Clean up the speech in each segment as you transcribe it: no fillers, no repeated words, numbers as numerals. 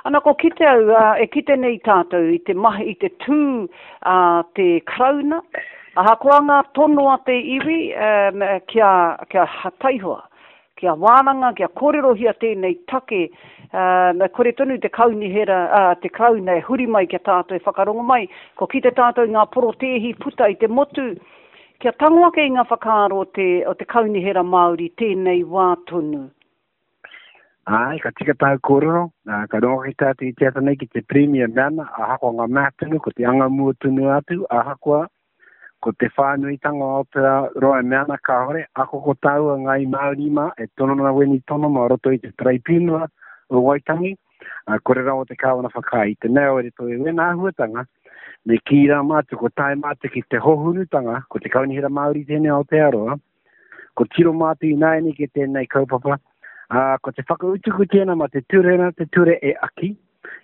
Ana ko kite au, e kite nei tātou i te mahi, i te tū a te Karauna, ahakoa ngā tono a te iwi kia, kia taihoa, kia wānanga, kia kōrerohia tēnei take, me kore tonu te kaunihera, ā, te Karauna e huri mai ki a tātou e whakarongo mai, kua kite tātou i ngā porotēhi puta i te motu, kia tango ake i ngā whakaaro o te, o te Kaunihera Māori tēnei wā tonu. Āe, ka tika tāu kōrero, ā, ka rongo ake tātou i te ata nei ki te Pirimia Nana, ahakoa ngā mea tonu, ko te anga mua tonu atu, ahakoa ko te whānuitanga o Aotearoa e mea ana kāore, ako ko tāua Ngāi Māori mā e tono ana wēnei tono mā roto i te Taraipiunara o Waitangi, ā, kore rawa te Kāwana whakaae i te mea o roto i wēnā āhuatanga, me kī rā mātou ko tae mātou ki te hohunutanga, ko te Kaunihera Māori tēnei o Aotearoa, ko tiro mātou ināianei ki tēnei kaupapa, ā, ko te whakautuku tēnā mā te ture nā te ture e aki.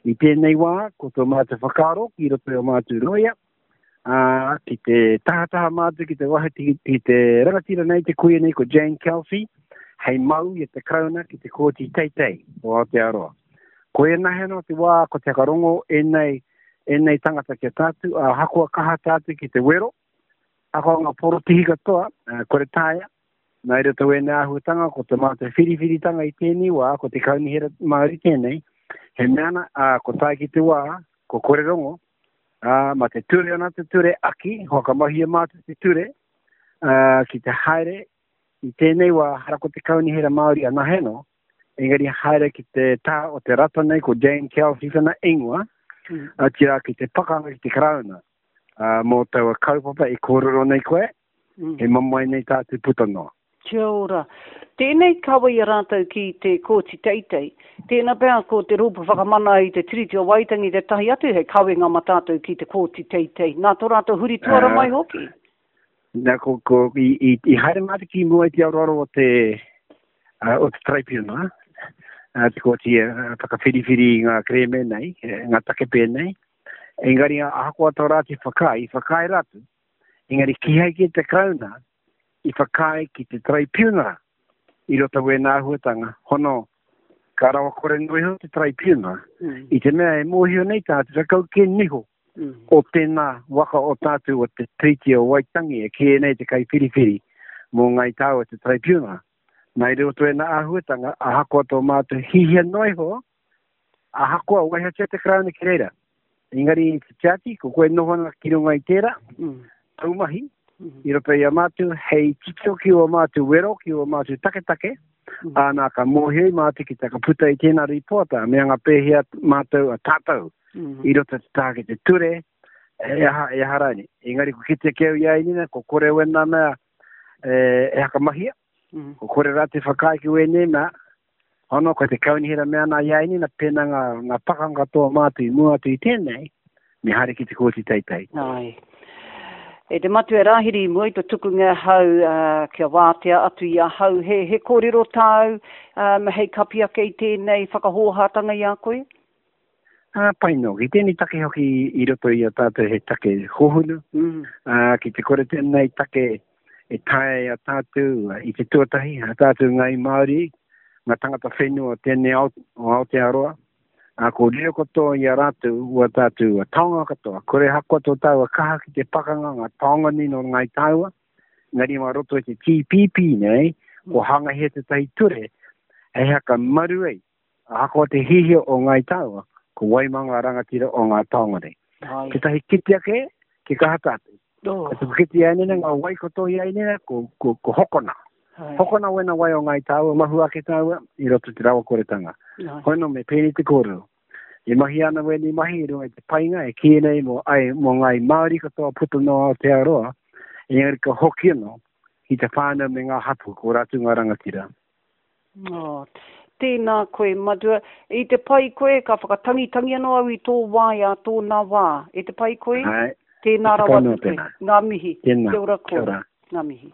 I tēnei wā, ko tō mātou whakaaro ki roto i ō mātou rōia, ā, ki te tahataha mātou ki te waha ki, ki te rangatira nei, te kuia nei, ko Jane Kelsey, hei mau i a te Karauna ki te Kōti Teitei o Aotearoa. Ko ēnahe anō te wā ko te whakarongo ēnei, ēnei tangata ki a tātou, ahakoa kaha tātou ki te wero, Ahakoa ngā porotēhi katoa, kore taea, nā i roto wēnei āhuatanga, ko te mātou whiriwhiritanga i tēnei wā, ko te Kaunihera Māori tēnei, he mea ana, ā, ko tae ki te wā, ko kore rongo, ā, mā te ture ana te ture aki, whakamahia mātou te ture, ā, ki te haere i tēnei wā, hara ko te Kaunihera Māori anahe anō, engari haere ki te taha o te rata nei, ko Jane Kelsey tana ingoa, mm. otirā ki te pakanga ki te Karauna. ā, mō taua kaupapa e kōrero nei koe, mm. he mamae nei tātou puta noa. Kia ora. Tēnei kawe i a rātou ki te Kōti Teitei. Tēnā pea ko te Rōpū Whakamana i te Tiriti o Waitangi tētahi atu hei kawenga mā tātou ki te Kōti Teitei. Nā tō rātou huri tuara mai hoki. Nā, ko, ko, i, i, i haere mātou ki mua i te aroaro o te, uh, o te traipiunara, uh, te kōti uh, whakawhiriwhiri i ngā kerēme nei, ngā take pēnei. Engari ahakoa tō rātou whakaae, i whakaae rātou, engari kīhai kē te Karauna i whakaae ki te Taraipiunara i roto wēnā āhuatanga, hono ka rawakore noa iho te Taraipiunara, mm. i te mea e mōhio nei tātou, ka kau kē niho mm. o tēnā waka o tātou o te Treaty o Waitangi e kīia nei te kaiwhiriwhiri mō Ngāi Tāua te Taraipiunara. Nā i roto wēnā āhuatanga, ahakoa tō mātou hihia noa iho, Ahakoa waihotia te Karauna ki reira, engari i te tiaki, ko koe noho ana ki runga i tērā, mm. tau mahi, mm. i roto i a mātou, hei titiro ki o mātou wero, ki o mātou taketake, mm. āna ka mōhio i mātou ki te puta i tēnā rīpoata, me anga pēhea mātou a tātou, mm. i roto te taha ki te ture, e aha, e aha rāni. Engari ko kite ki au i a Inina, ko kore wena mea e, e hakamahia, mm. ko kore rā te whakaae ki wēnei mea, Hono, ko te kaunihera mea ana i a Inina, pēnā ngā, ngā pakanga katoa mātou i mua atu i tēnei, me haere ki te kōti teitei. Āe. E te Matua Rāhiri, i mua i to tukunga ahau kia wātea atu i ahau, he, he kōrero tāu um, hei kapi ake i tēnei whakahōhātanga i a koe? Ā, pai noa. Ki tēnei take hoki i roto i a tātou he take hohunu, mm. ā, ki te kore tēnei take e taea i a tātou i te tuatahi, a tātou Ngāi Māori, ngā tangata whenua o tēnei ao, o Aotearoa, ā, ko riro katoa i a rātou ua tātou taonga katoa, kore hakoa tō tāua kaha ki te pakanga ngā taonga nei nō Ngāi Tāua, engari mā roto i te TPP nei, ko hangahia tētahi ture hei haka maru ai Ahakoa te hihia o Ngāi Tāua, ko wai mā ngā rangatira o ngā taonga nei. Tētahi kite ake, ki kaha tātou. Oh. Ko te kite i ainena, ngā wai katoa i ainena, ko, ko, ko hokona. Hai. Hokona wena wai o Ngāi Tāua, mahu ake tāua, i roto te rawakoretanga. Hoi no, me pēnei te kōrero. E mahi ana wēnei mahi i runga i te painga e kīia nei mō, ai, mō Ngāi Māori katoa puta noa Aotearoa, engari ka hoki anō ki te whānau me ngā hapū, ko rātou ngā rangatira. Oh, tēnā koe, Matua. I te pai koe, ka whakatangitangi anō au i tō waea tōna wā. E te pai koe? Āe. Tēnā rawa atu koe. Ngā mihi. Tēnā. Kia ora koe. Kia ora. Ngā mihi.